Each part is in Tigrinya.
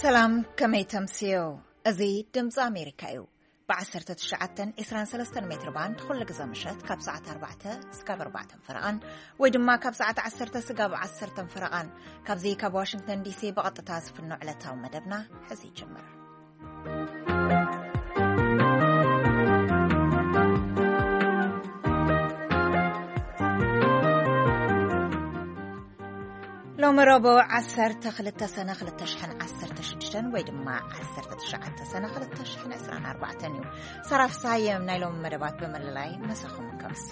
ሰላም፣ ከመይ ተምስዮ? እዚ ድምፂ ኣሜሪካ እዩ። ብ19 23 ሜትር ባንድ ኩሉ ግዜ ምሸት ካብ ሰዓት ኣርባዕተ እስካብ ኣርባዕተ ፈረቓን፣ ወይ ድማ ካብ ሰዓት ዓሰርተ ስጋብ ዓሰርተ ፈረቓን፣ ካብዚ ካብ ዋሽንግተን ዲሲ ብቐጥታ ዝፍኖ ዕለታዊ መደብና ሕዚ ይጅምር። ሎሚ ረቡዕ ዓሰርተ ክልተ ሰነ ክልተ ሽሕን ዓሰርተ ሽዱሽተን ወይ ድማ ዓሰርተ ትሽዓተ ሰነ ክልተ ሽሕን ዕስራን ኣርባዕተን እዩ። ሰራፍ ሳየም ናይ ሎሚ መደባት ብምልላይ መሳኹም ከምሲ።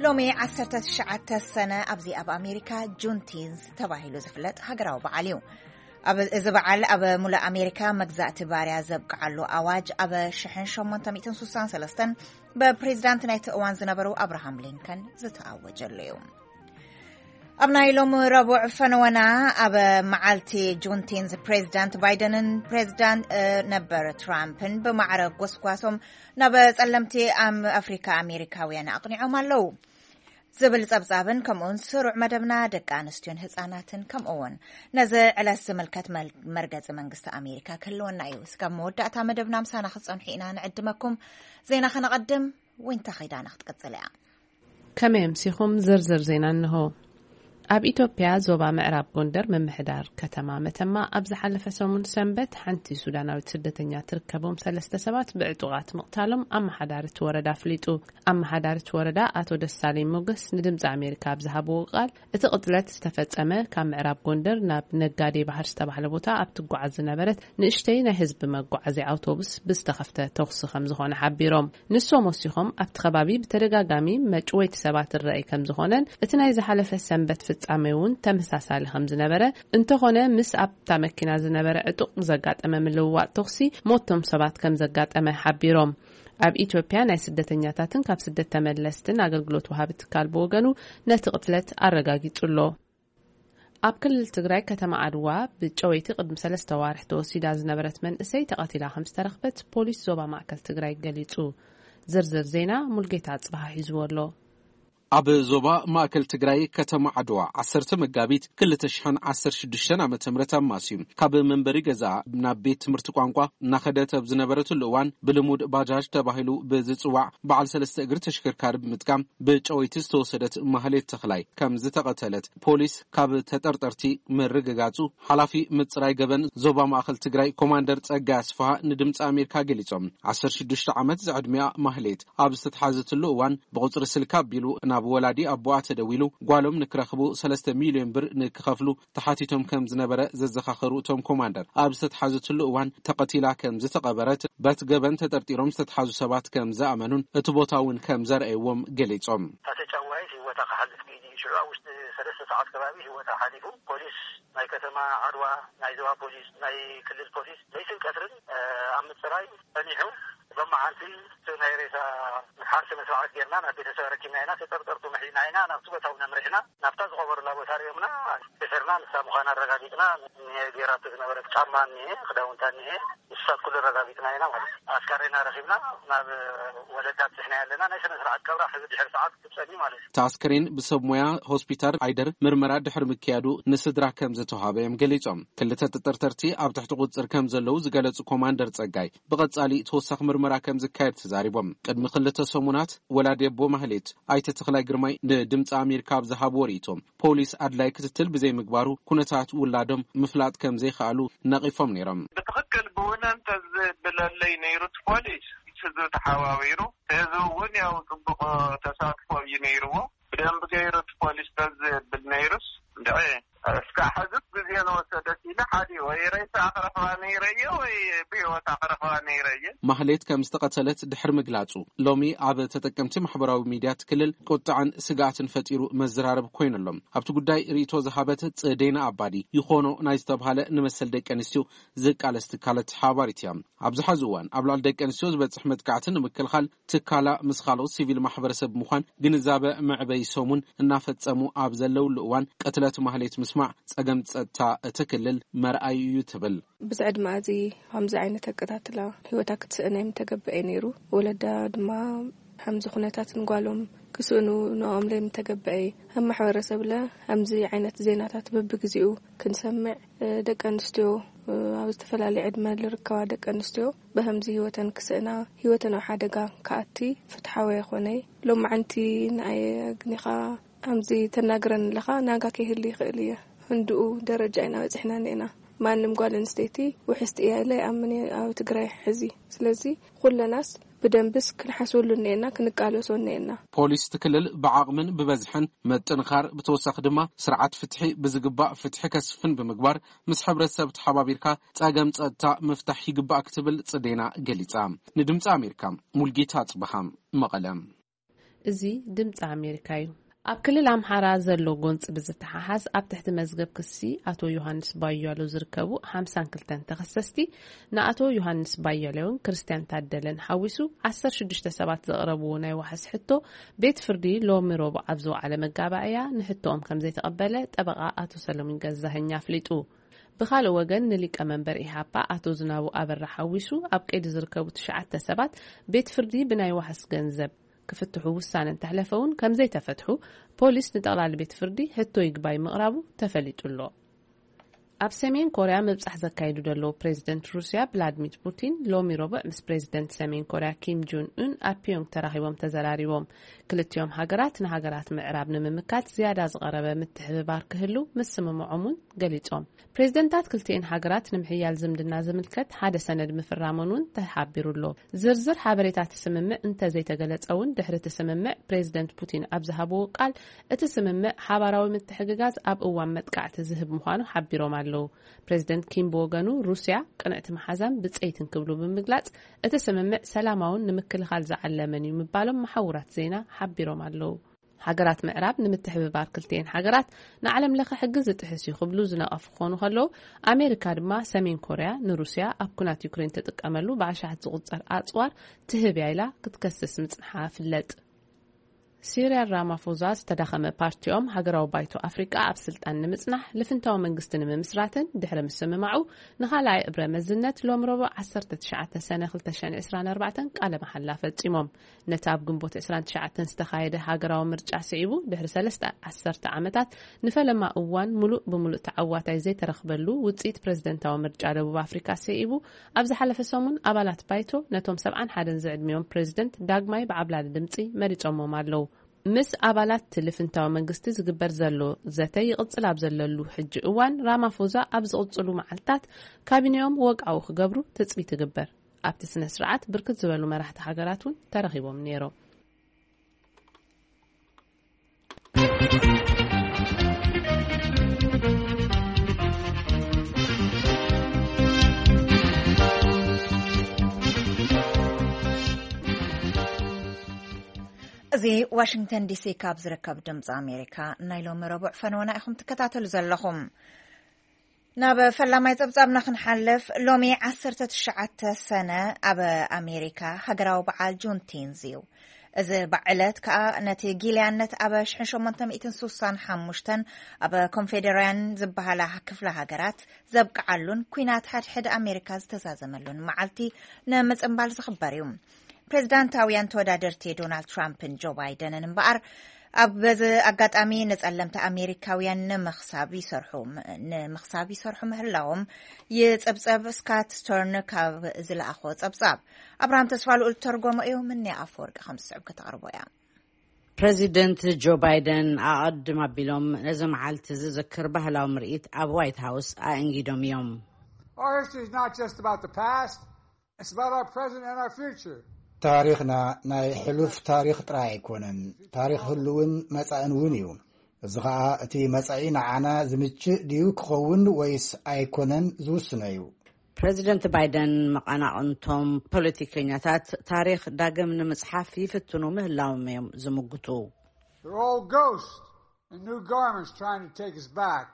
ሎሚ ዓሰርተ ትሽዓተ ሰነ ኣብዚ ኣብ ኣሜሪካ ጁንቲንስ ተባሂሉ ዝፍለጥ ሃገራዊ በዓል እዩ። ኣብ፣ እዚ በዓል ኣብ ሙሉእ ኣሜሪካ መግዛእቲ ባርያ ዘብቅዓሉ ኣዋጅ ኣብ ሽሕን ሸሞንተ ሚእትን ስሳን ሰለስተን ብፕሬዚዳንት ናይቲ እዋን ዝነበሩ ኣብርሃም ሊንከን ዝተኣወጀሉ እዩ። ኣብ ናይ ሎሚ ረቡዕ ፈነወና፣ ኣብ መዓልቲ ጁንቲንስ ፕሬዚዳንት ባይደንን ፕሬዚዳንት፣ እ፣ ነበር ትራምፕን ብማዕረ ጎስጓሶም ናብ ጸለምቲ ኣም-፣ ኣፍሪካ ኣሜሪካውያን ኣቕኒዖም ኣለዉ ዝብል ጸብጻብን ከምኡውን ስሩዕ መደብና ደቂ ኣንስትዮን ህጻናትን ከምኡውን ነዚ ዕለት ዝምልከት መል-፣ መርገጺ መንግስቲ ኣሜሪካ ክህልወና እዩ። እስካብ መወዳእታ መደብና ምሳና ክትጸንሑ ኢና ንዕድመኩም። ዜና ከነቐድም፣ ዊንታ ኸይዳና ክትቅጽል እያ። ከመይ ኣምሲኹም? ዝርዝር ዜና እንሆ። ኣብ ኢትዮጵያ ዞባ ምዕራብ ጎንደር ምምሕዳር ከተማ መተማ ኣብ ዝሓለፈ ሰሙን ሰንበት ሓንቲ ሱዳናዊት ስደተኛ ትርከቦም ሰለስተ ሰባት ብዕጡቓት ምቕታሎም ኣመሓዳሪ እቲ ወረዳ ኣፍሊጡ። ኣመሓዳሪ እቲ ወረዳ ኣቶ ደሳለኝ ሞገስ ንድምፂ ኣሜሪካ ኣብ ዝሃብዎ ቃል፣ እቲ ቅትለት ዝተፈጸመ ካብ ምዕራብ ጎንደር ናብ ነጋዴ ባህር ዝተባህለ ቦታ ኣብ ትጓዓዝ ዝነበረት ንእሽተይ ናይ ህዝቢ መጓዓዝያ ኣውቶቡስ ብዝተኸፍተ ተኹሲ ከም ዝኾነ ሓቢሮም። ንሶም ወሲኾም፣ ኣብቲ ከባቢ ብተደጋጋሚ መጭወይቲ ሰባት ይረኣይ ከም ዝኾነን እቲ ናይ ዝሓለፈ ሰንበት ፍጻሜ እውን ተመሳሳሊ ከም ዝነበረ፣ እንተኾነ ምስ ኣብታ መኪና ዝነበረ ዕጡቕ ብዘጋጠመ ምልውዋጥ ተኹሲ ሞቶም ሰባት ከም ዘጋጠመ ሓቢሮም። ኣብ ኢትዮጵያ ናይ ስደተኛታትን ካብ ስደት ተመለስትን ኣገልግሎት ወሃቢ ትካል ብወገኑ ነቲ ቅትለት ኣረጋጊጹ ኣሎ። ኣብ ክልል ትግራይ ከተማ ዓድዋ ብጨወይቲ ቅድሚ ሰለስተ ዋርሕ ተወሲዳ ዝነበረት መንእሰይ ተቐቲላ ከም ዝተረኽበት ፖሊስ ዞባ ማእከል ትግራይ ገሊጹ። ዝርዝር ዜና ሙልጌታ ኣጽብሃ ሒዝዎ ኣሎ። ኣብ ዞባ ማእከል ትግራይ ከተማ ዓድዋ ዓሰርተ መጋቢት ክልተ ሽሕን ዓሰርተ ሽዱሽተን ዓመተ ምህረት ኣማስዩ ካብ መንበሪ ገዛ ናብ ቤት ትምህርቲ ቋንቋ እናኸደት ኣብ ዝነበረትሉ እዋን ብልሙድ ባጃጅ ተባሂሉ ብዝጽዋዕ በዓል ሰለስተ እግሪ ተሽከርካሪ ብምጥቃም ብጨወይቲ ዝተወሰደት ማህሌት ተኽላይ ከም ዝተቐተለት ፖሊስ ካብ ተጠርጠርቲ ምርግጋጹ ሓላፊ ምጽራይ ገበን ዞባ ማእከል ትግራይ ኮማንደር ጸጋይ ኣስፍሃ ንድምፂ ኣሜሪካ ገሊጾም። ዓሰርተ ሽዱሽተ ዓመት ዝዕድሚያ ማህሌት ኣብ ዝተትሓዘትሉ እዋን ብቁጽሪ ስልካ ኣቢሉ ናብ ወላዲ ኣቦኣ ተደዊሉ ጓሎም ንክረኽቡ ሰለስተ ሚልዮን ብር ንክኸፍሉ ተሓቲቶም ከም ዝነበረ ዘዘኻኸሩ እቶም ኮማንደር፣ ኣብ ዝተትሓዘትሉ እዋን ተቐቲላ ከም ዝተቐበረት፣ በቲ ገበን ተጠርጢሮም ዝተትሓዙ ሰባት ከም ዝኣመኑን እቲ ቦታ እውን ከም ዘርኣይዎም ገሊጾም። እታ ተጫዋይት ህይወታ ክሓልፍ ክኢሉ እዩ። ሽዑ ኣብ ውሽጢ ሰለስተ ሰዓት ከባቢ ህይወታ ሓሊፉ። ፖሊስ ናይ ከተማ ዓድዋ፣ ናይ ዞባ ፖሊስ፣ ናይ ክልል ፖሊስ ለይትን ቀትርን፣ እ፣ ኣብ ምጽራይ ጸኒሑ። ሎማዓንቲ እቲ ናይ ሬሳ ሓር ስነ ስርዓት ጌርና ናብ ቤተሰብ ኣረኪብና ኢና። ተጠርጠርቱ ምሒዝና ኢና ናብቲ ቦታ እውን ኣምሪሕና። ናብታ ዝቐበሩላ ቦታ ሪኦምና፣ ድሕርና ንሳ ምዃና ኣረጋጊጽና። ጌራቶ ዝነበረት ጫማ እኒሄ፣ ክዳውንታ እኒሄ፣ ንሳት ኩሉ ኣረጋጊጽና ኢና ማለት እዩ። ኣስካሬና ረኺብና ናብ ወለዳ ኣብጺሕና ኣለና። ናይ ስነ ስርዓት ቀብራ ሕዚ ድሕሪ ሰዓት ክትጸኒ ማለት እዩ። እቲ ኣስከሬን ብሰብ ሞያ ሆስፒታል ዓይደር ምርመራ ድሕሪ ምክያዱ ንስድራ ከም ዝተዋሃበ እዮም ገሊጾም። ክልተ ተጠርጠርቲ ኣብ ትሕቲ ቁጽጽር ከም ዘለዉ ዝገለጹ ኮማንደር ጸጋይ፣ ብቐጻሊ ተወሳኺ ምርመራ ከም ዝካየድ ተዛሪቦም። ቅድሚ ክልተ ሰሙናት ወላዲ ኣቦ ማህሌት ኣይተ ተኽላይ ግርማይ ንድምፂ ኣሜሪካ ኣብ ዝሃብዎ ርእይቶ፣ ፖሊስ ኣድላይ ክትትል ብዘይምግባሩ ኩነታት ውላዶም ምፍላጥ ከም ዘይከኣሉ ነቒፎም ነይሮም። ብትኽክል ብውነ እንተዝብለለይ ነይሩ እቲ ፖሊስ፣ ህዝቢ ተሓባቢሩ፣ ህዝቢ እውን ያው ጽቡቕ ተሳትፎ እዩ ነይርዎ። ብደንብ ገይሩ እቲ ፖሊስ ተዝብል ነይሩስ፣ እንድዒ እስካዕ ሕዚ ግዜ ንወሰደት ኢለ ሓዲ ወይ ሬሳ ክረኽባ ነይረየ ወይ ብህይወታ ክረኽባ ነይረየ። ማህሌት ከም ዝተቐተለት ድሕሪ ምግላጹ፣ ሎሚ ኣብ ተጠቀምቲ ማሕበራዊ ሚድያ እቲ ክልል ቁጥዐን ስግኣትን ፈጢሩ መዘራረቢ ኮይኑ ኣሎ። ኣብቲ ጉዳይ ርእይቶ ዝሃበት ጽዴና ኣባዲ፣ ይኾኖ ናይ ዝተብሃለ ንመሰል ደቂ ኣንስትዮ ዝቃለስ ትካላት ተሓባሪት እያ። ኣብዚ ሐዚ እዋን ኣብ ልዕሊ ደቂ ኣንስትዮ ዝበጽሕ መጥቃዕቲ ንምክልኻል ትካላ ምስ ካልኦት ሲቪል ማሕበረሰብ ብምዃን ግንዛበ መዕበይ ሰሙን እናፈጸሙ ኣብ ዘለውሉ እዋን ቅትለት ማህሌት ምስማዕ ጸገም ጸጥታ እቲ ክልል መርኣዩ እዩ ትብል። ብዝዕድመኣ እዚ ከምዚ ዓይነት ኣቀታትላ ህይወታ ክትስእን ኣይምተገበኤ ነይሩ። ወለዳ ድማ ከምዚ ኩነታት ንጓሎም ክስእኑ ንኦም ለይምተገበኤ። ኣብ ማሕበረሰብለ ከምዚ ዓይነት ዜናታት በብግዜኡ ክንሰምዕ፣ እ፣ ደቂ ኣንስትዮ ኣብ ዝተፈላለየ ዕድመ ዝርከባ ደቂ ኣንስትዮ ብከምዚ ህይወተን ክስእና፣ ህይወተን ኣብ ሓደጋ ክኣቲ ፍትሓዊ ኣይኮነይ። ሎማዓንቲ ንኣየ ኣግኒኻ ከምዚ ተናግረን ኣለኻ፣ ናጋ ከይህሉ ይኽእል እየ። ህንድኡ ደረጃ ኢና በፂሕና እኒአና። ማንም ጓል ኣንስተይቲ ውሕስቲ እያ ኢለ ይኣምን እየ ኣብ ትግራይ ሕዚ። ስለዚ ኩለናስ ብደንብስ ክንሓስበሉ እኒአና፣ ክንቃለሶ እኒአና። ፖሊስ እቲ ክልል ብዓቕምን ብበዝሕን ምጥንኻር፣ ብተወሳኺ ድማ ስርዓት ፍትሒ ብዝግባእ ፍትሒ ከስፍን ብምግባር፣ ምስ ሕብረተሰብ ተሓባቢርካ ጸገም ጸጥታ ምፍታሕ ይግባእ ክትብል ጽዴና ገሊጻ። ንድምጺ ኣሜሪካ ሙልጌታ ጽበሃ፣ መቐለ። እዚ ድምፂ ኣሜሪካ እዩ። ኣብ ክልል ኣምሓራ ዘሎ ጎንፂ ብዝተሓሓዝ፣ ኣብ ትሕቲ መዝገብ ክሲ ኣቶ ዮሃንስ ባያለው ዝርከቡ ሓምሳን ክልተን ተኸሰስቲ፣ ንኣቶ ዮሃንስ ባያለውን ክርስቲያን ታደለን ሓዊሱ ዓሰርተ ሽዱሽተ ሰባት ዘቕረብዎ ናይ ዋሕስ ሕቶ፣ ቤት ፍርዲ ሎሚ ረቡዕ ኣብ ዝወዓለ መጋባእያ ንሕቶኦም ከም ዘይተቐበለ ጠበቓ ኣቶ ሰለሙን ገዛኸኝ ኣፍሊጡ። ብኻልእ ወገን፣ ንሊቀ መንበር ኢሃፓ ኣቶ ዝናቡ ኣበራ ሓዊሱ ኣብ ቀይዲ ዝርከቡ ትሽዓተ ሰባት ቤት ፍርዲ ብናይ ዋሕስ ገንዘብ ክፍትሑ ውሳነ እንተሕለፈ እውን ከም ዘይተፈትሑ ፖሊስ ንጠቕላሊ ቤት ፍርዲ ሕቶ ይግባይ ምቕራቡ ተፈሊጡ ኣሎ። ኣብ ሰሜን ኮርያ ምብጻሕ ዘካይዱ ዘለዉ ፕሬዚደንት ሩስያ ቭላድሚር ፑቲን ሎሚ ረቡዕ ምስ ፕሬዚደንት ሰሜን ኮርያ ኪም ጆን ኡን ኣብ ፒዮንግ ተራኺቦም ተዘራሪቦም። ክልቲኦም ሃገራት ንሃገራት ምዕራብ ንምምካት ዝያዳ ዝቐረበ ምትሕብባር ክህሉ ምስምምዖም እውን ገሊጾም። ፕሬዚደንታት ክልቲኤን ሃገራት ንምሕያል ዝምድና ዝምልከት ሓደ ሰነድ ምፍራሞን እውን ተሓቢሩ ኣሎ። ዝርዝር ሓበሬታ እቲ ስምምዕ እንተዘይተገለጸ እውን፣ ድሕሪ እቲ ስምምዕ ፕሬዚደንት ፑቲን ኣብ ዝሃብዎ ቃል፣ እቲ ስምምዕ ሓባራዊ ምትሕግጋዝ ኣብ እዋን መጥቃዕቲ ዝህብ ምዃኑ ሓቢሮም ኣለዉ። ፕሬዚደንት ኪም ብወገኑ፣ ሩስያ ቅንዕቲ መሓዛን ብጸይትን ክብሉ ብምግላጽ፣ እቲ ስምምዕ ሰላማውን ንምክልኻል ዝዓለመን እዩ ምባሎም መሓውራት ዜና ሓቢሮም ኣለዉ። ሃገራት ምዕራብ ንምትሕብባር ክልቲኤን ሃገራት ንዓለም ለኸ ሕጊ ዝጥሕስ እዩ ክብሉ ዝነቐፉ ክኾኑ ከለዉ፣ ኣሜሪካ ድማ ሰሜን ኮርያ ንሩስያ ኣብ ኩናት ዩክሬን ትጥቀመሉ ብኣሽሓት ዝቑጸር ኣጽዋር ትህብ እያ ኢላ ክትከስስ ምጽንሓ ፍለጥ። ሲሪል ራማፎዛ ዝተዳኸመ ፓርቲኦም ሃገራዊ ባይቶ ኣፍሪቃ ኣብ ስልጣን ንምጽናሕ ልፍንታዊ መንግስቲ ንምምስራትን ድሕሪ ምስምማዑ ንኻልኣይ እብረ መዝነት ሎም ረቡዕ ዓሰርተ ትሽዓተ ሰነ ክልተ ሽሕን ዕስራን ኣርባዕተን ቃለ መሓላ ፈጺሞም። ነቲ ኣብ ግንቦት ዕስራን ትሽዓተን ዝተኻየደ ሃገራዊ ምርጫ ስዒቡ፣ ድሕሪ ሰለስተ ዓሰርተ ዓመታት ንፈለማ እዋን ምሉእ ብምሉእ ተዓዋታይ ዘይተረኽበሉ ውጽኢት ፕሬዝደንታዊ ምርጫ ደቡብ ኣፍሪካ ስዒቡ፣ ኣብ ዝሓለፈ ሰሙን ኣባላት ባይቶ ነቶም ሰብዓን ሓደን ዝዕድሚኦም ፕሬዝደንት ዳግማይ ብዓብላሊ ድምጺ መሪጾሞም ኣለዉ። ምስ ኣባላት ልፍንታዊ መንግስቲ ዝግበር ዘሎ ዘተ ይቕጽል ኣብ ዘለሉ ሕጂ እዋን፣ ራማፎዛ ኣብ ዝቕጽሉ መዓልታት ካቢኔኦም ወግዓዊ ክገብሩ ትጽቢት ይግበር። ኣብቲ ስነ ስርዓት ብርክት ዝበሉ መራሕቲ ሃገራት እውን ተረኺቦም ነይሮም። እዚ ዋሽንግተን ዲሲ ካብ ዝርከብ ድምፂ ኣሜሪካ ናይ ሎሚ ረቡዕ ፈነወና ኢኹም ትከታተሉ ዘለኹም። ናብ ፈላማይ ጸብጻብና ክንሓልፍ፣ ሎሚ ዓሰርተ ትሽዓተ ሰነ ኣብ ኣሜሪካ ሃገራዊ በዓል ጁንቲንዝ እዩ። እዚ በዓል ዕለት ከኣ ነቲ ጊልያነት ኣብ ሽሕን ሸሞንተ ሚእትን ስሳን ሓሙሽተን ኣብ ኮንፌደራያን ዝበሃላ ክፍለ ሃገራት ዘብቅዓሉን ኲናት ሓድሕድ ኣሜሪካ ዝተዛዘመሉን መዓልቲ ንምጽንባል ዝኽበር እዩ። ፕሬዝዳንታውያን ተወዳደርቲ ዶናልድ ትራምፕን ጆ ባይደንን እምበኣር ኣብ በዚ ኣጋጣሚ ንጸለምቲ ኣሜሪካውያን ንምኽሳብ ይሰርሑ ንምኽሳብ ይሰርሑ ምህላዎም ይጽብጸብ። ስካት ስተርን ካብ ዝለኣኾ ጸብጻብ ኣብርሃም ተስፋ ልኡል ተርጎሞ እዩ። ምንያ ኣፈወርቂ ከም ዝስዕብ ከተቕርቦ እያ። ፕሬዚደንት ጆ ባይደን ኣቐድም ኣቢሎም ነዚ መዓልቲ ዝዝክር ባህላዊ ምርኢት ኣብ ዋይት ሃውስ ኣእንጊዶም እዮም። Our history is not just about the past, it's about our present and our future. ታሪኽና ናይ ሕሉፍ ታሪኽ ጥራይ ኣይኮነን፣ ታሪኽ ህሉውን መጻእን እውን እዩ። እዚ ኸኣ እቲ መጻኢ ንዓና ዝምችእ ድዩ ክኸውን ወይስ ኣይኮነን ዝውስኖ እዩ። ፕሬዚደንት ባይደን መቐናቕንቶም ፖለቲከኛታት ታሪኽ ዳግም ንምጽሓፍ ይፍትኑ ምህላዎም እዮም ዝምግቱ። They're old ghosts in new garments trying to take us back.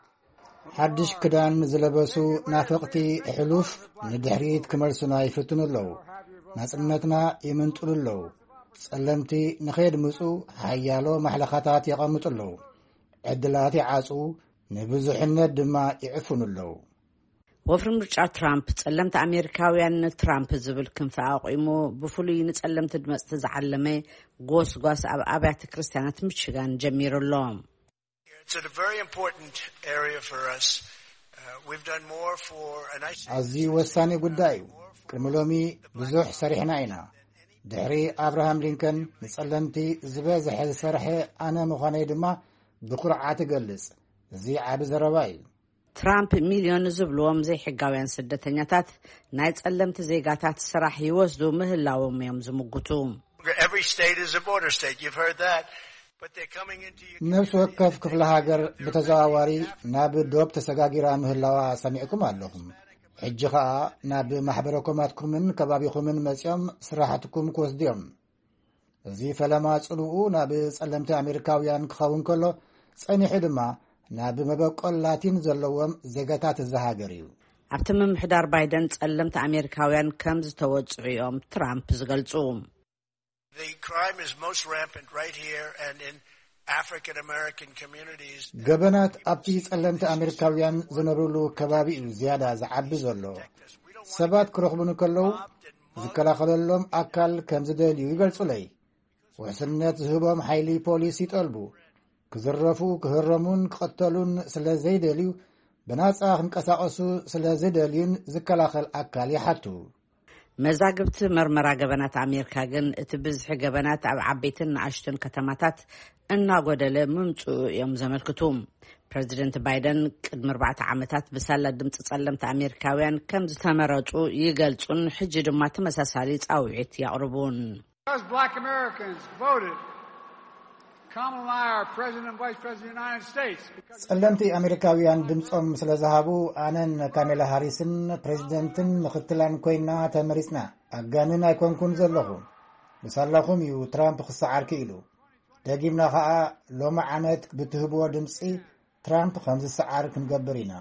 ሓድሽ ክዳን ዝለበሱ ናፈቕቲ ሕሉፍ ንድሕሪት ክመልሱና ይፍትኑ ኣለዉ። ናጽነትና ይምንጥሉ ኣለዉ። ጸለምቲ ንኸየድምጹ ሓያሎ ማሕለኻታት የቐምጡ ኣለዉ። ዕድላት ይዓጹ፣ ንብዙሕነት ድማ ይዕፍኑ ኣለዉ። ወፍሪ ምርጫ ትራምፕ፣ ጸለምቲ ኣሜሪካውያን ንትራምፕ ዝብል ክንፊ ኣቑሙ፣ ብፍሉይ ንጸለምቲ ድመጽቲ ዝዓለመ ጎስጓስ ኣብ ኣብያተ ክርስቲያናት ሚችጋን ጀሚሩ ኣሎ። It's a very important area for us. ኣዝዩ ወሳኒ ጉዳይ እዩ። ቅድሚ ሎሚ ብዙሕ ሰሪሕና ኢና። ድሕሪ ኣብርሃም ሊንከን ንጸለምቲ ዝበዝሐ ዝሰርሐ ኣነ ምዃነይ ድማ ብኩርዓት እገልጽ። እዚ ዓቢ ዘረባ እዩ። ትራምፕ ሚልዮን ዝብልዎም ዘይሕጋውያን ስደተኛታት ናይ ጸለምቲ ዜጋታት ስራሕ ይወስዱ ምህላዎም እዮም ዝምጉቱ። ነብሲ ወከፍ ክፍለ ሃገር ብተዘዋዋሪ ናብ ዶብ ተሰጋጊራ ምህላዋ ሰሚዕኩም ኣለኹም። ሕጂ ኸኣ ናብ ማሕበረኮማትኩምን ከባቢኹምን መጺኦም ስራሕትኩም ክወስድዮም። እዚ ፈለማ ጽልኡ ናብ ጸለምቲ ኣሜሪካውያን ክኸውን ከሎ፣ ጸኒሑ ድማ ናብ መበቆል ላቲን ዘለዎም ዜጋታት እዚ ሃገር እዩ። ኣብቲ ምምሕዳር ባይደን ጸለምቲ ኣሜሪካውያን ከም ዝተወጽዑ እዮም ትራምፕ ዝገልጹ። ገበናት ኣብቲ ጸለምቲ ኣሜሪካውያን ዝነብርሉ ከባቢ እዩ ዝያዳ ዝዓቢ ዘሎ። ሰባት ክረኽቡኒ ከለዉ ዝከላኸለሎም ኣካል ከም ዝደልዩ ይገልጹለይ። ውሕስነት ዝህቦም ሓይሊ ፖሊስ ይጠልቡ። ክዝረፉ፣ ክህረሙን ክቐተሉን ስለ ዘይደልዩ፣ ብናጻ ክንቀሳቐሱ ስለ ዝደልዩን ዝከላኸል ኣካል ይሓቱ። መዛግብቲ መርመራ ገበናት ኣሜሪካ ግን እቲ ብዝሒ ገበናት ኣብ ዓበይትን ንኣሽቱን ከተማታት እናጎደለ ምምጽኡ እዮም ዘመልክቱ። ፕረዚደንት ባይደን ቅድሚ ኣርባዕተ ዓመታት ብሳላ ድምፂ ጸለምቲ ኣሜሪካውያን ከም ዝተመረጹ ይገልጹን ሕጂ ድማ ተመሳሳሊ ጻውዒት ያቕርቡን። Because black Americans voted, Kamala and I are President and Vice President of the United States. Because ጸለምቲ ኣሜሪካውያን ድምጾም ስለ ዝሃቡ ኣነን ካሜላ ሃሪስን ፕሬዚደንትን ምኽትላን ኮይና ተመሪጽና። ኣጋንን ኣይኮንኩን ዘለኹ። ብሳላኹም እዩ ትራምፕ ክሰዓር ክኢሉ። ደጊምና ኸኣ ሎሚ ዓመት ብትህብዎ ድምጺ ትራምፕ ከም ዝሰዓር ክንገብር ኢና።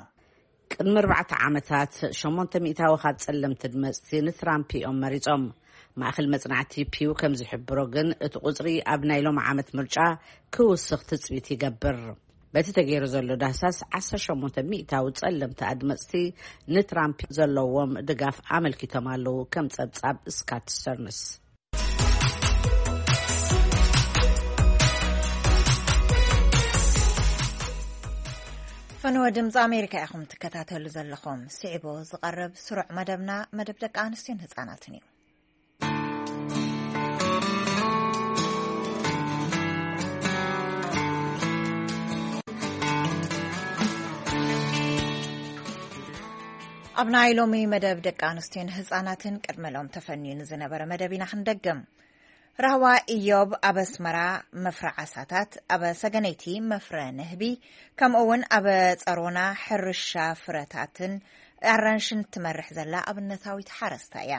ቅድሚ ኣርባዕተ ዓመታት ሸሞንተ ሚእታዊ ካብ ጸለምቲ ድመጽቲ ንትራምፕ እዮም መሪጾም። ማእከል መጽናዕቲ ፒው ከም ዝሕብሮ ግን እቲ ቁጽሪ ኣብ ናይ ሎም ዓመት ምርጫ ክውስኽ ትጽቢት ይገብር። በቲ ተገይሩ ዘሎ ዳህሳስ ዓሰርተ ሸሞንተ ሚእታዊ ጸለምቲ ኣድመጽቲ ንትራምፕ ዘለዎም ድጋፍ ኣመልኪቶም ኣለዉ። ከም ጸብጻብ ስካት ስተርንስ። ፈነወ ድምፂ ኣሜሪካ ኢኹም ትከታተሉ ዘለኹም። ስዒቡ ዝቐርብ ስሩዕ መደብና መደብ ደቂ ኣንስትዮን ህፃናትን እዩ። ኣብ ናይ ሎሚ መደብ ደቂ ኣንስትዮን ህፃናትን ቅድመ ሎም ተፈንዩ ንዝነበረ መደብ ኢና ክንደግም። ራህዋ ኢዮብ ኣብ ኣስመራ መፍረ ዓሳታት፣ ኣብ ሰገነይቲ መፍረ ንህቢ፣ ከምኡ እውን ኣብ ጸሮና ሕርሻ ፍረታትን ኣራንሽን እትመርሕ ዘላ ኣብነታዊት ሓረስታ እያ።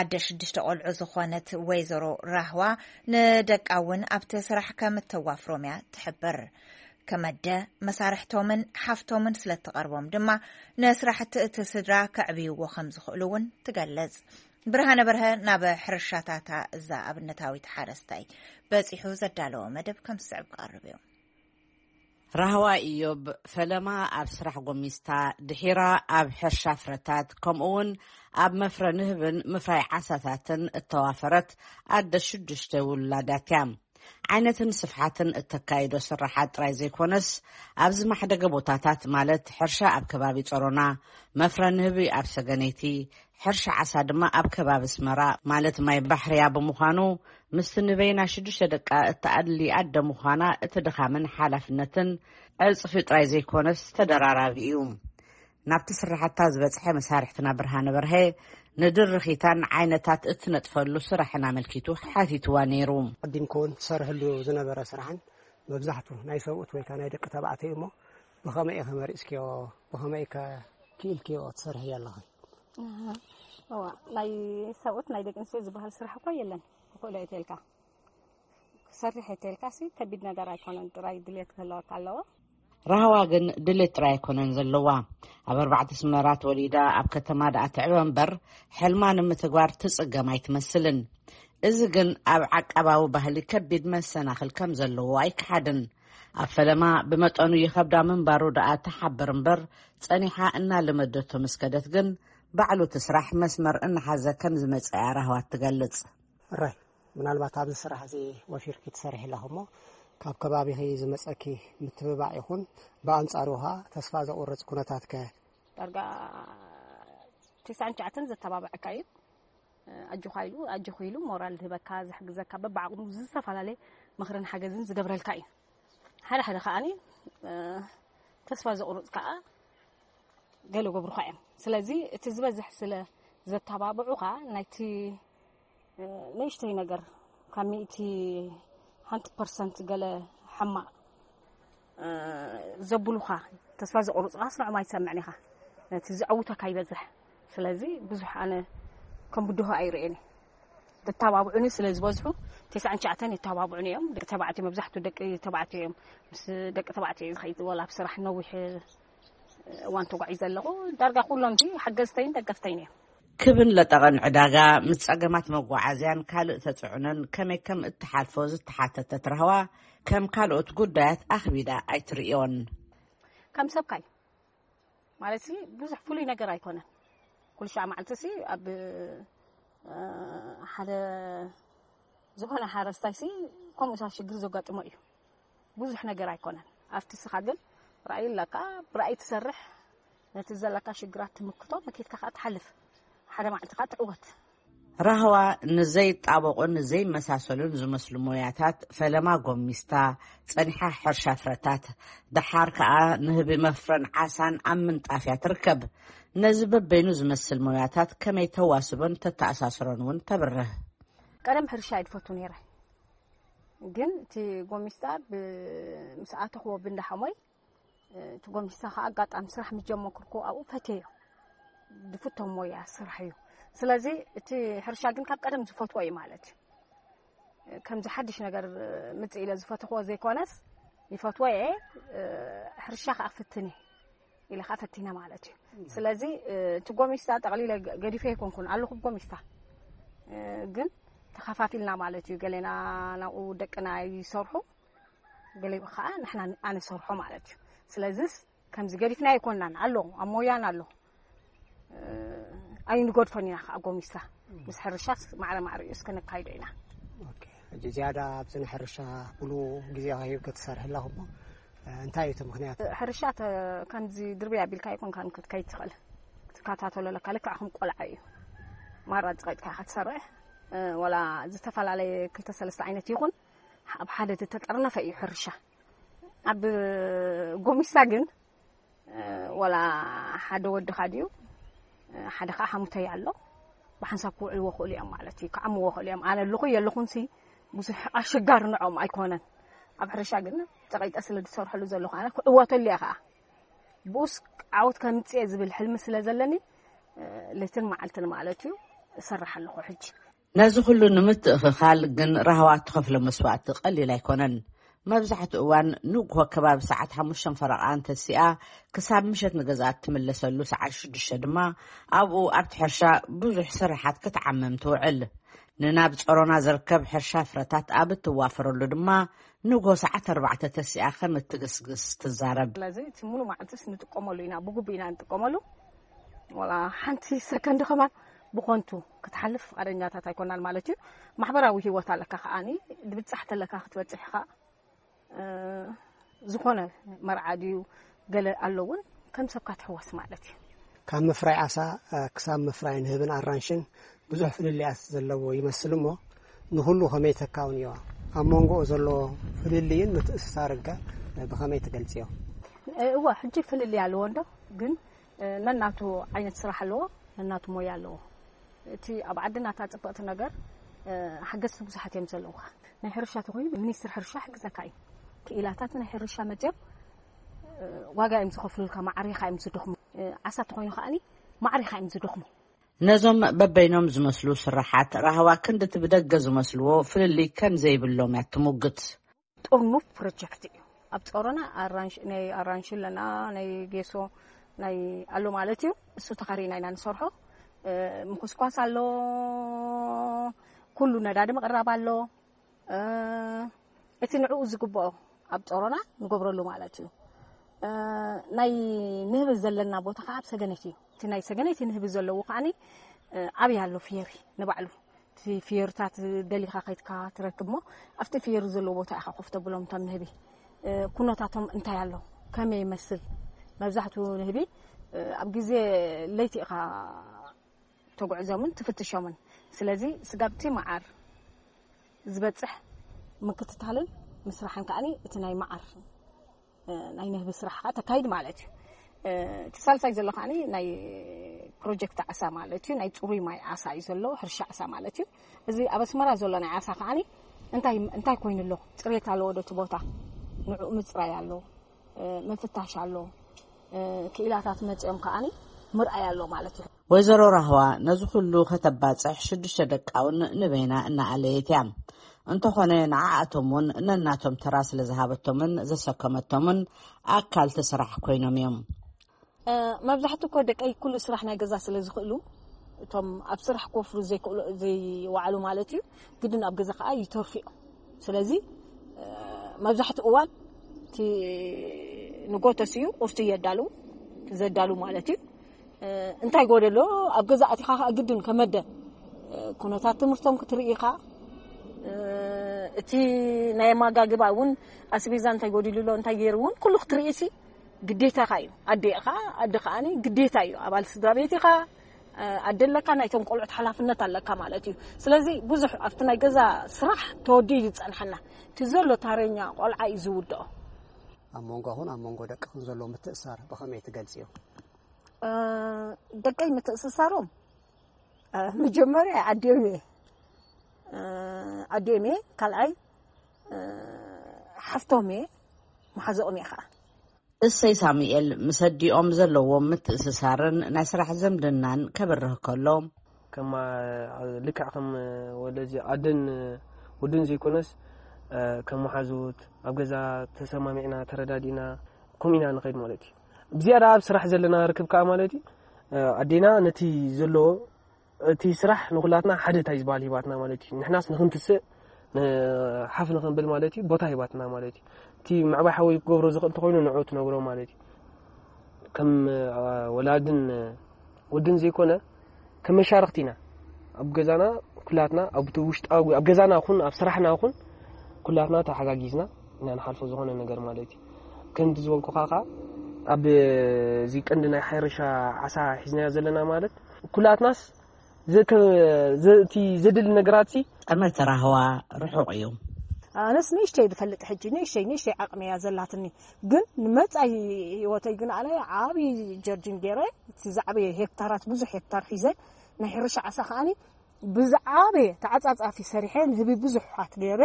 ኣደ ሽዱሽተ ቆልዑ ዝኾነት ወይዘሮ ራህዋ ንደቃ እውን ኣብቲ ስራሕ ከም እተዋፍሮም እያ ትሕብር። ከመደ መሳርሕቶምን ሓፍቶምን ስለ እትቐርቦም ድማ ንስራሕቲ እቲ ስድራ ከዕብይዎ ከም ዝኽእሉ እውን ትገልጽ። ብርሃነ በርሀ ናብ ሕርሻታታ እዛ ኣብነታዊት ሓረስታይ በጺሑ ዘዳለዎ መደብ ከም ዝስዕብ ክቐርብ እዩ። ራህዋ ኢዮብ ፈለማ ኣብ ስራሕ ጎሚስታ፣ ድሒራ ኣብ ሕርሻ ፍረታት፣ ከምኡ እውን ኣብ መፍረ ንህብን ምፍራይ ዓሳታትን እተዋፈረት ኣደ ሽዱሽተ ውላዳት እያ። ዓይነትን ስፍሓትን እተካይዶ ስራሓት ጥራይ ዘይኮነስ፣ ኣብ ዝማሕደገ ቦታታት፣ ማለት ሕርሻ ኣብ ከባቢ ጸሮና፣ መፍረ ንህቢ ኣብ ሰገነይቲ፣ ሕርሻ ዓሳ ድማ ኣብ ከባቢ ኣስመራ፣ ማለት ማይ ባሕርያ ብምዃኑ፣ ምስቲ ንበይና ሽዱሽተ ደቃ እተኣድሊ ኣደ ምዃና፣ እቲ ድኻምን ሓላፍነትን ዕጽፊ ጥራይ ዘይኮነስ ተደራራቢ እዩ። ናብቲ ስራሕታ ዝበጽሐ መሳርሕትና ብርሃነ በርሀ፣ ንድርኺታን ዓይነታት እትነጥፈሉ ስራሕን ኣመልኪቱ ሓቲትዋ ነይሩ። ኣቐዲምኩ እውን ትሰርሕሉ ዝነበረ ስራሕን መብዛሕቱ ናይ ሰብኡት ወይ ከዓ ናይ ደቂ ተባዕትዮ እሞ ብኸመይ ኢኸ መሪፅክዮ? ብኸመይ ከ ክኢልክዮ ትሰርሕዮ ኣለኺ? እዋ፣ ናይ ሰብኡት ናይ ደቂ ኣንስትዮ ዝበሃል ስራሕ እኳ የለን። ክኽእሎ እየ ተልካ። ክሰርሕ እየ ተልካ ሲ ከቢድ ነገር ኣይኮነን፣ ጥራይ ድሌት ክህለወካ ኣለዎ። ራህዋ ግን ድሌት ጥራይ ኣይኮነን ዘለዋ። ኣብ ኣርባዕተ ኣስመራ ተወሊዳ ኣብ ከተማ ደኣ ትዕበ እምበር፣ ሕልማ ንምትግባር ትጽገም ኣይትመስልን። እዚ ግን ኣብ ዓቃባዊ ባህሊ ከቢድ መሰናኽል ከም ዘለዎ ኣይከሓድን። ኣብ ፈለማ ብመጠኑ ይኸብዳ ምንባሩ ደኣ ትሓብር እምበር፣ ጸኒሓ እናለመደቶ ምስ ከደት ግን፣ ባዕሉ እቲ ስራሕ መስመር እናሓዘ ከም ዝመጸ እያ ራህዋ ትገልጽ። ሕራይ፣ ምናልባት ኣብዚ ስራሕ እዚ ወፊርኪ ትሰርሒ ኣለኺ እሞ፣ ካብ ከባቢኺ ዝመጸኪ ምትብባዕ ይኹን፣ ብኣንጻሩ ኸኣ ተስፋ ዘቑርጽ ኩነታትከ? ዳርጋ ተስዓን ትሽዓተን ዘተባብዐካ እዩ። ኣጆኻ ኢሉ ኣጆኺ ኢሉ ሞራል ዝህበካ፣ ዝሕግዘካ፣ በብዓቕሙ ዝተፈላለየ ምኽርን ሓገዝን ዝገብረልካ እዩ። ሓደ ሓደ ከኣ ተስፋ ዘቑርጽ ከኣ ገለ ገብሩኻ እዮም። ስለዚ እቲ ዝበዝሕ ስለ ዘተባብዑኻ ናይቲ ንእሽተይ ነገር ካብ ሚእቲ ሓንቲ ፐርሰንት ገለ ሕማቕ ዘብሉኻ፣ ተስፋ ዘቑርጹኻስ ንዕኦም ኣይትሰምዕን ኢኻ። ነቲ ዘዕውተካ ይበዝሕ። ስለዚ ብዙሕ ኣነ ከም ብድሆ ኣይርእየን እየ። ዘተባብዑኒ ስለ ዝበዝሑ፣ ተስዓን ትሽዓተን የተባብዑኒ እዮም። ደቂ ተባዕትዮ፣ መብዛሕትኡ ደቂ ተባዕትዮ እዮም። ምስ ደቂ ተባዕትዮ እዩ ዝኸይድ፣ ወላ ኣብ ስራሕ ነዊሕ እዋን ተጓዒዘ ኣለኹ። ዳርጋ ኩሎም ሓገዝተይን ደገፍተይን እዮም። ክብን ለጠቐን ዕዳጋ፣ ምስ ጸገማት መጓዓዝያን ካልእ ተጽዕኖን ከመይ ከም እትሓልፎ ዝተሓተተት ራህዋ፣ ከም ካልኦት ጉዳያት ኣኽቢዳ ኣይትርእዮን። ከም ሰብካ እዩ። ማለት ብዙሕ ፍሉይ ነገር ኣይኮነን። ኩሉ ሻዕ መዓልቲ ሲ ኣብ ሓደ ዝኾነ ሓረስታይ ሲ ከምኡ ሽግር ዘጋጥሞ እዩ። ብዙሕ ነገር ኣይኮነን። ኣብቲ ስኻ ግን ራእይ ኣለካ፣ ብራእይ ትሰርሕ፣ ነቲ ዘለካ ሽግራት ትምክቶ፣ መኪትካ ከዓ ትሓልፍ፣ ሓደ መዓልቲ ከዓ ትዕወት። ራህዋ ንዘይጣበቑን ዘይመሳሰሉን ዝመስሉ ሞያታት ፈለማ ጎሚስታ፣ ጸኒሓ ሕርሻ ፍረታት፣ ደሓር ከኣ ንህቢ መፍረን ዓሳን ኣብ ምንጣፍ እያ ትርከብ። ነዚ በበይኑ ዝመስል ሞያታት ከመይ ተዋስቦን ተተኣሳስሮን እውን ተብርህ። ቀደም ሕርሻ እየ ዝፈቱ ነይረ፣ ግን እቲ ጎሚስታ ምስ ኣተኽዎ ብእንዳ ሓሞይ፣ እቲ ጎሚስታ ከዓ ኣጋጣሚ ስራሕ ምስ ጀመርኩ ኣብኡ ፈትየዮ። ዝፍቶ ሞያ ስራሕ እዩ። ስለዚ እቲ ሕርሻ ግን ካብ ቀደም ዝፈትዎ እዩ ማለት እዩ። ከምዚ ሓድሽ ነገር ምፅእ ኢለ ዝፈትኽዎ ዘይኮነስ ይፈትዎ እየ። ሕርሻ ከዓ ክፍትን እየ ኢለ ከዓ ፈቲነ ማለት እዩ። ስለዚ እቲ ጎሚስታ ጠቕሊለ ገዲፈ ኣይኮንኩን ኣለኹ ብጎሚስታ፣ ግን ተኸፋፊልና ማለት እዩ። ገሌና ናብኡ ደቅና ይሰርሑ፣ ገለ ከዓ ንሕና ኣነ ሰርሖ ማለት እዩ። ስለዚስ ከምዚ ገዲፍና ኣይኮናን ኣሎ ኣብ ሞያን ኣሎ። ኣይንገድፎን ኢና ከዓ ጎሚስታ ምስ ሕርሻስ ማዕረ ማዕሪኡ እስከ ነካይዶ ኢና። ሕጂ ዝያዳ ኣብዚ ናይ ሕርሻ ብሉ ግዜ ሂብከ ትሰርሒ ኣለኹ እሞ እንታይ እዩ እቲ ምክንያት? ሕርሻ ከምዚ ድርበይ ኣቢልካ ኣይኮንካን ክትከይድ ትኽእል፣ ክትከታተሎ ኣለካ። ልክዕ ከም ቆልዓ እዩ። ማራ ጸቒጥካ ኢኻ ትሰርሕ፣ ወላ ዝተፈላለየ ክልተ ሰለስተ ዓይነት ይኹን ኣብ ሓደ ዝተጠርነፈ እዩ ሕርሻ። ኣብ ጎሚስታ ግን ወላ ሓደ ወድኻ ድዩ ሓደ ከዓ ሓሙተይ ኣሎ፣ ብሓንሳብ ክውዕልዎ ክእሉ እዮም ማለት እዩ፣ ክዓምዎ ክእሉ እዮም። ኣነ ኣለኹ የለኹንሲ ብዙሕ ኣሸጋሪ ንዕኦም ኣይኮነን። ኣብ ሕርሻ ግን ጸቒጠ ስለ ዝሰርሐሉ ዘለኹ ኣነ ክዕወተሉ እየ ከዓ፣ ብኡስ ዓወት ከምፅእ እየ ዝብል ሕልሚ ስለ ዘለኒ ለይትን መዓልትን ማለት እዩ እሰርሕ ኣለኹ ሕጂ። ነዚ ኩሉ ንምትእኽኻል ግን ራህዋ እትኸፍሎ መስዋእቲ ቀሊል ኣይኮነን። መብዛሕትኡ እዋን ንግሆ ከባቢ ሰዓት ሓሙሽተ ፈረቓ እንተሲኣ ክሳብ ምሸት ንገዝኣ እትምለሰሉ ሰዓት ሽዱሽተ ድማ ኣብኡ ኣብቲ ሕርሻ ብዙሕ ስርሓት ክትዓምም ትውዕል። ንናብ ጸሮና ዝርከብ ሕርሻ ፍረታት ኣብ እትዋፈረሉ ድማ ንግሆ ሰዓት ኣርባዕተ ተሲኣ ከም እትግስግስ ትዛረብ። ስለዚ እቲ ሙሉእ መዓልትስ ንጥቀመሉ ኢና፣ ብግቡእ ኢና ንጥቀመሉ። ዋላ ሓንቲ ሰከንድ ከማን ብኾንቱ ክትሓልፍ ፍቓደኛታት ኣይኮናን ማለት እዩ። ማሕበራዊ ህይወት ኣለካ ከዓኒ፣ ድብጻሕ ተለካ ክትበጽሕ ኢኻ። ዝኾነ መርዓ ድዩ ገለ ኣሎ እውን ከም ሰብካ ትሕወስ ማለት እዩ። ካብ ምፍራይ ዓሳ ክሳብ ምፍራይ ንህብን ኣራንሽን ብዙሕ ፍልልያት ዘለዎ ይመስል እሞ ንኹሉ ከመይ ተካውንዮ? ኣብ መንጎኡ ዘሎ ፍልልይን ምትእስሳርንከ ብኸመይ ትገልጽዮ? እወ ሕጂ ፍልልይ ኣለዎ እንዶ ግን ነናቱ ዓይነት ስራሕ ኣለዎ፣ ነናቱ ሞያ ኣለዎ። እቲ ኣብ ዓድና እታ ፅብቕቲ ነገር ሓገዝቲ ብዙሓት እዮም ዘለውኻ። ናይ ሕርሻ ተኮይኑ ሚኒስትር ሕርሻ ሕግዘካ እዩ። ክኢላታት ናይ ሕርሻ መፅዮም ዋጋ እዮም ዝኸፍሉልካ፣ ማዕሪኻ እዮም ዝደኽሙ። ዓሳ ተኮይኑ ከዓኒ ማዕሪኻ እዮም ዝደኽሙ። ነዞም በበይኖም ዝመስሉ ስራሓት ራህዋ ክንድቲ ብደገ ዝመስልዎ ፍልልይ ከም ዘይብሎም እያ ትሙግት። ጥርኑፍ ፕሮጀክት እዩ። ኣብ ጾሮና ኣራንሽ ናይ ኣራንሽ ኣለና፣ ናይ ጌሶ ናይ ኣሎ ማለት እዩ። እሱ ተኻሪና ኢና ንሰርሖ። ምኩስኳስ ኣሎ፣ ኩሉ ነዳዲ ምቕራብ ኣሎ። እቲ ንዕኡ ዝግብኦ ኣብ ጾሮና ንገብረሉ ማለት እዩ። ናይ ንህቢ ዘለና ቦታ ከዓ ኣብ ሰገነት እዩ። እቲ ናይ ሰገነት ንህቢ ዘለዎ ከዓ ኣብይ ኣሎ ፍየሪ ንባዕሉ እቲ ፍየሩታት ደሊኻ ከይድካ ትረክብ እሞ ኣብቲ ፍየሩ ዘለዎ ቦታ ኢኻ ኮፍ ተብሎም እቶም ንህቢ። ኩነታቶም እንታይ ኣሎ፣ ከመይ ይመስል? መብዛሕትኡ ንህቢ ኣብ ግዜ ለይቲ ኢኻ ተጉዕዞምን ትፍትሾምን። ስለዚ ስጋብቲ መዓር ዝበፅሕ ምክትታልን ምስራሕን ከዓኒ እቲ ናይ መዓር ናይ ንህቢ ስራሕ ከዓ ተካይድ ማለት እዩ። እቲ ሳልሳይ ዘሎ ከዓ ናይ ፕሮጀክት ዓሳ ማለት እዩ። ናይ ፅሩይ ማይ ዓሳ እዩ ዘሎ፣ ሕርሻ ዓሳ ማለት እዩ። እዚ ኣብ ኣስመራ ዘሎ ናይ ዓሳ ከዓ እንታይ እንታይ ኮይኑ ኣሎ፣ ፅሬት ኣለዎ ዶ እቲ ቦታ፣ ንዑ ምፅራይ ኣሎ፣ ምፍታሽ ኣሎ። ክኢላታት መፂኦም ከዓ ምርኣይ ኣሎ ማለት እዩ። ወይዘሮ ራህዋ ነዚ ኩሉ ከተባፅሕ ሽዱሽተ ደቃውን ንበይና እናኣለየት እያ። እንተኾነ ንዓኣቶም እውን ነናቶም ተራ ስለ ዝሃበቶምን ዘሰከመቶምን ኣካልቲ ስራሕ ኮይኖም እዮም። መብዛሕትኡ እኮ ደቀይ ኩሉ ስራሕ ናይ ገዛ ስለ ዝኽእሉ፣ እቶም ኣብ ስራሕ ክወፍሩ ዘይክእሉ ዘይወዓሉ ማለት እዩ፣ ግድን ኣብ ገዛ ከዓ ይተርፉ እዮም። ስለዚ መብዛሕትኡ እዋን እቲ ንጎተስ እዩ ቁርሲ እየዳሉ ዘዳሉ ማለት እዩ። እንታይ ጎደሎ ኣብ ገዛ ኣቲኻ ከዓ ግድን ከመደ ኩነታት ትምህርቶም ክትርኢ ኢኻ። እቲ ናይ ኣመጋግባ እውን ኣስቤዛ እንታይ ጎዲሉ ኣሎ እንታይ ገይሩ እውን ኩሉ ክትርኢ ሲ ግዴታኻ እዩ። ኣዴ ኢኻ፣ ኣደ ከዓኒ ግዴታ እዩ። ኣባል ስድራ ቤት ኢኻ፣ ኣደ ኣለካ፣ ናይቶም ቆልዑት ሓላፍነት ኣለካ ማለት እዩ። ስለዚ ብዙሕ ኣብቲ ናይ ገዛ ስራሕ ተወዲኡ እዩ ዝፀንሐና። እቲ ዘሎ ታረኛ ቆልዓ እዩ ዝውድኦ። ኣብ መንጎኹን ኣብ መንጎ ደቅኹን ዘሎ ምትእሳር ብኸመይ ትገልጽዮ? ደቀይ ምትእስሳሮም መጀመርያ ኣዲኦም እየ ኣዲኦም እየ ካልኣይ ሓፍቶም እየ መሓዘኦም እየ ከዓ። እሰይ ሳሙኤል ምስ ኣዲኦም ዘለዎም ምትእስሳርን ናይ ስራሕ ዝምድናን ከብርህ ከሎ፣ ከማ ልክዕ ከም ወለዚ ኣደን ወድን ዘይኮነስ ከም መሓዙት ኣብ ገዛ ተሰማሚዕና ተረዳዲእና ከምኡ ኢና ንኸይድ ማለት እዩ። ብዝያዳ ኣብ ስራሕ ዘለና ርክብ ከዓ ማለት እዩ ኣዴና ነቲ ዘሎ እቲ ስራሕ ንኩላትና ሓደ እንታይ ዝበሃል ሂባትና ማለት እዩ። ንሕናስ ንክንትስእ ሓፍ ንክንብል ማለት እዩ ቦታ ሂባትና ማለት እዩ። እቲ ምዕባይ ሓወይ ክገብሮ ዝኽእል እንተኮይኑ ንዑ ትነግሮ ማለት እዩ። ከም ወላድን ወድን ዘይኮነ ከም መሻርክቲ ኢና። ኣብ ገዛና ኩላትና ኣብ ውሽጣዊ ኣብ ገዛና ኹን ኣብ ስራሕና ኹን ኩላትና ተሓጋጊዝና ኢና ንሓልፎ ዝኾነ ነገር ማለት እዩ። ከምቲ ዝበልኩኻ ከዓ ኣብ እዚ ቀንዲ ናይ ሕርሻ ዓሳ ሒዝናዮ ዘለና ማለት ኩላትናስ እቲ ዘድሊ ነገራት ሲ ጠመተ ራህዋ ርሑቕ እዩ። ኣነስ ንእሽተይ ዝፈልጥ ሕጂ ንእሽተይ ንእሽተይ ዓቕሚ እያ ዘላትኒ፣ ግን ንመፃኢ ህይወተይ ግን ኣነ ዓብዪ ጀርጅን ገይረ እቲ ዝዓበየ ሄክታራት ብዙሕ ሄክታር ሒዘ ናይ ሕርሻ ዓሳ ከዓኒ ብዝዓበየ ተዓፃፃፊ ሰሪሐ ንህቢ ብዙሓት ገይረ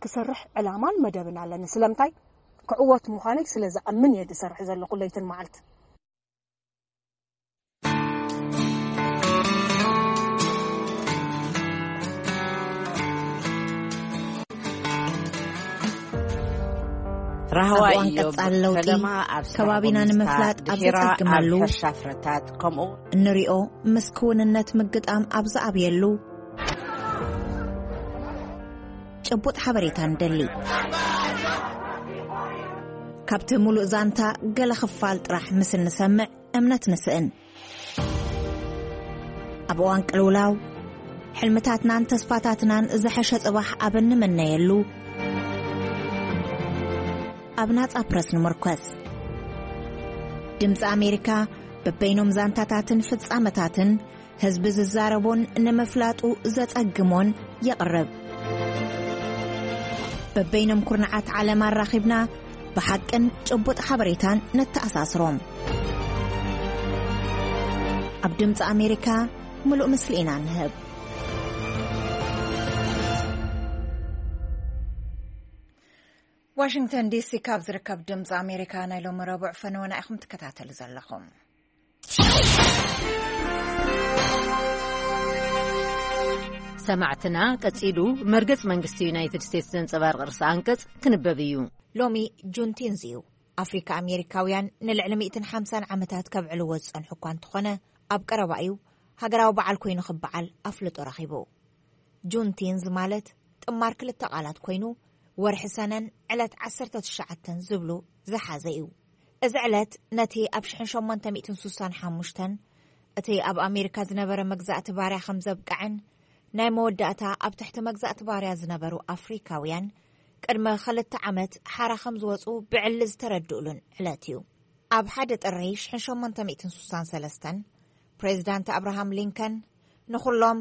ክሰርሕ ዕላማን መደብን ኣለኒ። ስለምንታይ ክዕወት ምዃነይ ስለ ዝኣምን እየ ዝሰርሕ ዘለኹ ለይትን መዓልትን። ራህዋ ኣብ እዋን ኢዮብ ቀጻሊ ለውጢ ፈለማ ኣብ ስራሕ ከባቢና ጎሚዝካ ንምፍላጥ ኣብ ድሒራ ኣብ ዝጸግመሉ ሕርሻ ፍረታት ከምኡ እንሪኦ ምስ ክውንነት ምግጣም ኣብ ዝኣብየሉ ጭቡጥ ሓበሬታ ንደሊ። ካብቲ ሙሉእ ዛንታ ገለ ክፋል ጥራሕ ምስ እንሰምዕ እምነት ንስእን። ኣብ እዋን ቅልውላው፣ ሕልምታትናን ተስፋታትናን ዝሐሸ ጽባሕ ኣብ እንምነየሉ፣ ኣብ ናጻ ፕረስ ንምርኮስ። ድምጺ ኣሜሪካ በበይኖም ዛንታታትን ፍጻመታትን ህዝቢ ዝዛረቦን ንምፍላጡ ዘጸግሞን የቕርብ። በበይኖም ኩርናዓት ዓለም ኣራኺብና ብሓቅን ጭቡጥ ሓበሬታን ነተኣሳስሮም። ኣብ ድምፂ ኣሜሪካ ምሉእ ምስሊ ኢና ንህብ። ዋሽንግተን ዲሲ ካብ ዝርከብ ድምፂ ኣሜሪካ ናይ ሎሚ ረቡዕ ፈነወና ኢኹም ትከታተሉ ዘለኹም። ሰማዕትና፣ ቀጺሉ መርገጽ መንግስቲ ዩናይትድ ስቴትስ ዘንጸባርቕ ርእሰ ኣንቀጽ ክንበብ እዩ። ሎሚ ጁንቲንዝ እዩ። ኣፍሪካ ኣሜሪካውያን ንልዕሊ ሚእትን ሓምሳን ዓመታት ከብዕልዎ ዝጸንሑ እኳ እንተኾነ፣ ኣብ ቀረባ እዩ ሃገራዊ በዓል ኮይኑ ክበዓል ኣፍልጦ ረኺቡ። ጁንቲንዝ ማለት ጥማር ክልተ ቃላት ኮይኑ፣ ወርሒ ሰነን ዕለት ዓሰርተ ትሽዓተ ዝብሉ ዝሓዘ እዩ። እዚ ዕለት ነቲ ኣብ ሽሕን ሸሞንተ ሚእትን ሱሳን ሓሙሽተን እቲ ኣብ ኣሜሪካ ዝነበረ መግዛእቲ ባርያ ከም ዘብቅዐን፣ ናይ መወዳእታ ኣብ ትሕቲ መግዛእቲ ባርያ ዝነበሩ ኣፍሪካውያን ቅድሚ ክልተ ዓመት ሓራ ከም ዝወፁ ብዕሊ ዝተረድኡሉን ዕለት እዩ። ኣብ ሓደ ጥሪ ሽሕን ሸሞንተ ሚእትን ስሳን ሰለስተን ፕሬዚዳንት ኣብርሃም ሊንከን ንኹሎም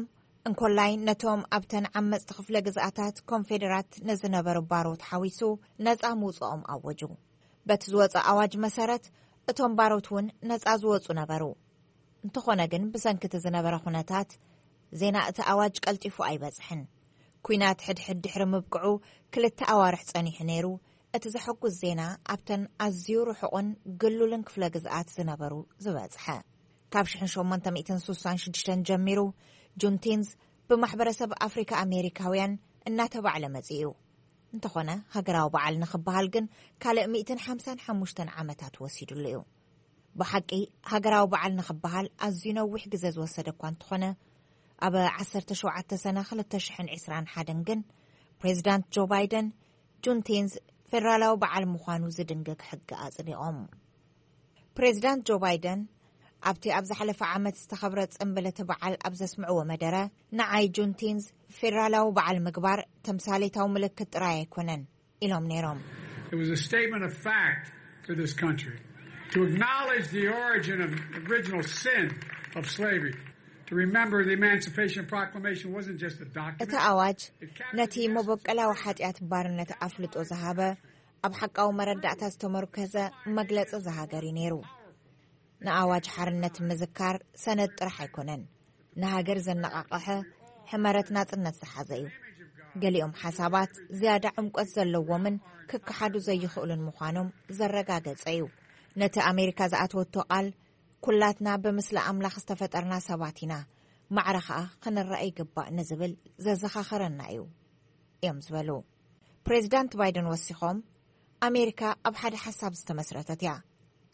እንኮላይ ነቶም ኣብተን ዓመፅቲ ክፍለ ግዝኣታት ኮንፌደራት ንዝነበሩ ባሮት ሓዊሱ ነፃ ምውፅኦም ኣወጁ። በቲ ዝወፀ ኣዋጅ መሰረት እቶም ባሮት እውን ነፃ ዝወፁ ነበሩ። እንተኾነ ግን ብሰንኪ እቲ ዝነበረ ኩነታት ዜና እቲ ኣዋጅ ቀልጢፉ ኣይበፅሕን። ኲናት ሕድሕድ ድሕሪ ምብቅዑ ክልተ ኣዋርሕ ፀኒሑ ነይሩ። እቲ ዘሐጉስ ዜና ኣብተን ኣዝዩ ርሑቕን ግሉልን ክፍለ ግዝኣት ዝነበሩ ዝበፅሐ። ካብ ሽሕን ሸሞንተ ሚእትን ስሳን ሽዱሽተን ጀሚሩ ጁንቲንዝ ብማሕበረሰብ ኣፍሪካ ኣሜሪካውያን እናተባዕለ መፂኡ እዩ። እንተኾነ ሃገራዊ በዓል ንኽበሃል ግን ካልእ ሚእትን ሓምሳን ሓሙሽተን ዓመታት ወሲዱሉ እዩ። ብሓቂ ሃገራዊ በዓል ንኽበሃል ኣዝዩ ነዊሕ ግዜ ዝወሰደ እኳ እንተኾነ ኣብ ዓሰርተ ሸውዓተ ሰነ ክልተ ሽሕን ዕስራን ሓደን ግን ፕሬዚዳንት ጆ ባይደን ጁንቲንዝ ፌደራላዊ በዓል ምዃኑ ዝድንግግ ሕጊ ኣጽዲቖም። ፕሬዚዳንት ጆ ባይደን ኣብቲ ኣብ ዝሓለፈ ዓመት ዝተኸብረ ጽምብል እቲ በዓል ኣብ ዘስምዕዎ መደረ ንዓይ ጁንቲንዝ ፌደራላዊ በዓል ምግባር ተምሳሌታዊ ምልክት ጥራይ ኣይኮነን ኢሎም ነይሮም። It was a statement of fact to this country to acknowledge the origin of original sin of slavery, to remember the Emancipation Proclamation wasn't just a document. እቲ ኣዋጅ ነቲ መበቀላዊ ሓጢኣት ባርነት ኣፍልጦ ዝሃበ ኣብ ሓቃዊ መረዳእታ ዝተመርኮዘ መግለጺ ዝሃገር እዩ ነይሩ። ንኣዋጅ ሓርነት ምዝካር ሰነድ ጥራሕ ኣይኮነን፣ ንሃገር ዘነቓቕሐ ሕመረት ናጽነት ዝሓዘ እዩ። ገሊኦም ሓሳባት ዝያዳ ዕምቆት ዘለዎምን ክከሓዱ ዘይኽእሉን ምዃኖም ዘረጋገጸ እዩ። ነቲ ኣሜሪካ ዝኣተወቶ ቃል ኩላትና ብምስሊ ኣምላኽ ዝተፈጠርና ሰባት ኢና፣ ማዕረ ኸኣ ክንረአ ይግባእ ንዝብል ዘዘኻኸረና እዩ እዮም ዝበሉ። ፕሬዚዳንት ባይደን ወሲኾም ኣሜሪካ ኣብ ሓደ ሓሳብ ዝተመስረተት እያ።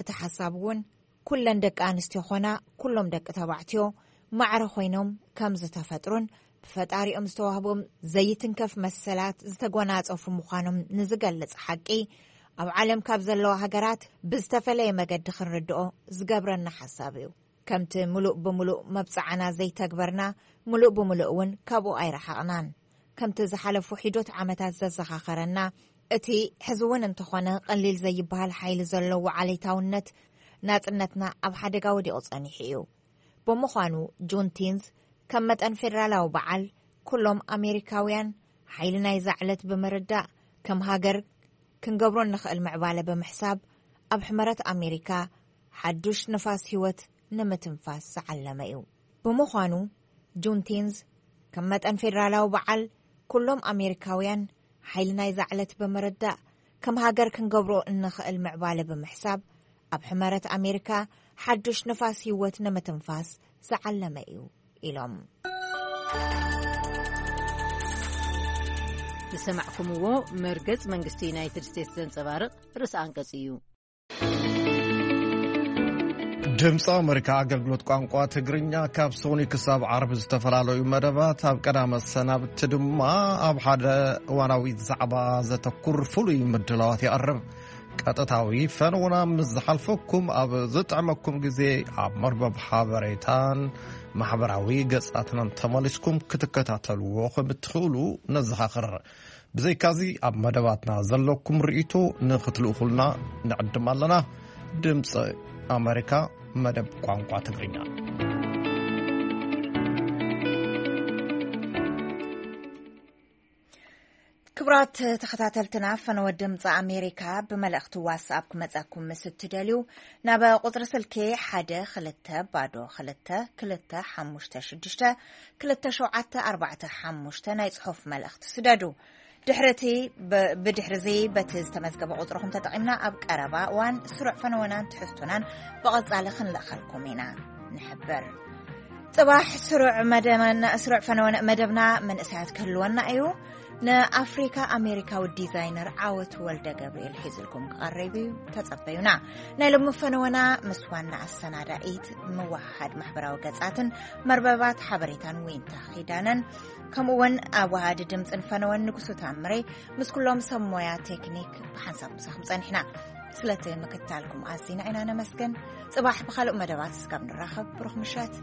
እቲ ሓሳብ እውን ኩለን ደቂ ኣንስትዮ ኾና ኩሎም ደቂ ተባዕትዮ ማዕረ ኮይኖም ከም ዝተፈጥሩን ብፈጣሪኦም ዝተዋህቦም ዘይትንከፍ መሰላት ዝተጎናጸፉ ምዃኖም ንዝገልጽ ሓቂ ኣብ ዓለም ካብ ዘለዋ ሃገራት ብዝተፈለየ መገዲ ክንርድኦ ዝገብረና ሓሳብ እዩ። ከምቲ ምሉእ ብምሉእ መብጽዓና ዘይተግበርና ምሉእ ብምሉእ እውን ካብኡ ኣይረሓቕናን። ከምቲ ዝሓለፉ ሒዶት ዓመታት ዘዘኻኸረና እቲ ሕዚ እውን እንተኾነ ቀሊል ዘይበሃል ሓይሊ ዘለዎ ዓሌታውነት ናጽነትና ኣብ ሓደጋ ወዲቑ ጸኒሑ እዩ። ብምዃኑ ጁንቲንዝ ከም መጠን ፌደራላዊ በዓል ኩሎም ኣሜሪካውያን ሓይሊ ናይዛ ዕለት ብምርዳእ ከም ሃገር ክንገብሮ እንኽእል ምዕባለ ብምሕሳብ ኣብ ሕመረት ኣሜሪካ ሓዱሽ ንፋስ ህይወት ንምትንፋስ ዝዓለመ እዩ። ብምዃኑ ጁንቲንዝ ከም መጠን ፌደራላዊ በዓል ኩሎም ኣሜሪካውያን ሓይሊ ናይዛ ዕለት ብምርዳእ ከም ሃገር ክንገብሮ እንኽእል ምዕባለ ብምሕሳብ ኣብ ሕመረት ኣሜሪካ ሓዱሽ ንፋስ ህይወት ንምትንፋስ ዝዓለመ እዩ ኢሎም። ዝሰማዕኩምዎ መርገጽ መንግስቲ ዩናይትድ ስቴትስ ዘንጸባርቕ ርእሲ ኣንቀጽ እዩ። ድምፂ ኣሜሪካ ኣገልግሎት ቋንቋ ትግርኛ ካብ ሶኒ ክሳብ ዓርቢ ዝተፈላለዩ መደባት ኣብ ቀዳመ ሰናብቲ ድማ ኣብ ሓደ እዋናዊ ዛዕባ ዘተኩር ፍሉይ ምድላዋት ይቐርብ። ቀጥታዊ ፈነውና ምስ ዝሓልፈኩም ኣብ ዝጥዕመኩም ግዜ ኣብ መርበብ ሓበሬታን ማሕበራዊ ገጻትናን ተመሊስኩም ክትከታተልዎ ከም እትኽእሉ ነዘኻኽር። ብዘይካዚ ኣብ መደባትና ዘለኩም ርእይቶ ንኽትልእኹልና ንዕድም ኣለና። ድምፂ ኣሜሪካ መደብ ቋንቋ ትግርኛ። ክቡራት ተኸታተልትና፣ ፈነወ ድምፂ ኣሜሪካ ብመልእኽቲ ዋትስኣፕ ክመፀኩም ምስ እትደልዩ ናብ ቁፅሪ ስልኪ ሓደ ክልተ ባዶ ክልተ ክልተ ሓሙሽተ ሽዱሽተ ክልተ ሸውዓተ ኣርባዕተ ሓሙሽተ ናይ ፅሑፍ መልእኽቲ ስደዱ። ድሕሪ እቲ ብ- ብድሕሪ እዚ በቲ ዝተመዝገበ ቁፅርኹም ተጠቒምና ኣብ ቀረባ እዋን ስሩዕ ፈነወናን ትሕዝቶናን ብቐጻሊ ክንልእኸልኩም ኢና ንሕብር። ጽባሕ ስሩዕ መደብና ስሩዕ ፈነወን መደብና መንእሰያት ክህልወና እዩ። ንኣፍሪካ ኣሜሪካዊ ዲዛይነር ዓወት ወልደ ገብርኤል ሒዝልኩም ክቐርብ እዩ፣ ተጸበዩና። ናይ ሎሚ ፈነወና ምስ ዋና ኣሰናዳኢት ምውሃድ ማሕበራዊ ገጻትን መርበባት ሓበሬታን ዊንታ ኺዳነን ከምኡ እውን ኣዋሃዲ ድምፅን ፈነወን ንጉሱ ታምሬ ምስ ኩሎም ሰብ ሞያ ቴክኒክ ብሓንሳብ ምሳኹም ጸኒሕና። ስለቲ ምክታልኩም ኣዚና ኢና ነመስግን። ጽባሕ ብኻልእ መደባት እስካብ ንራኸብ ብሩኽ ምሸት።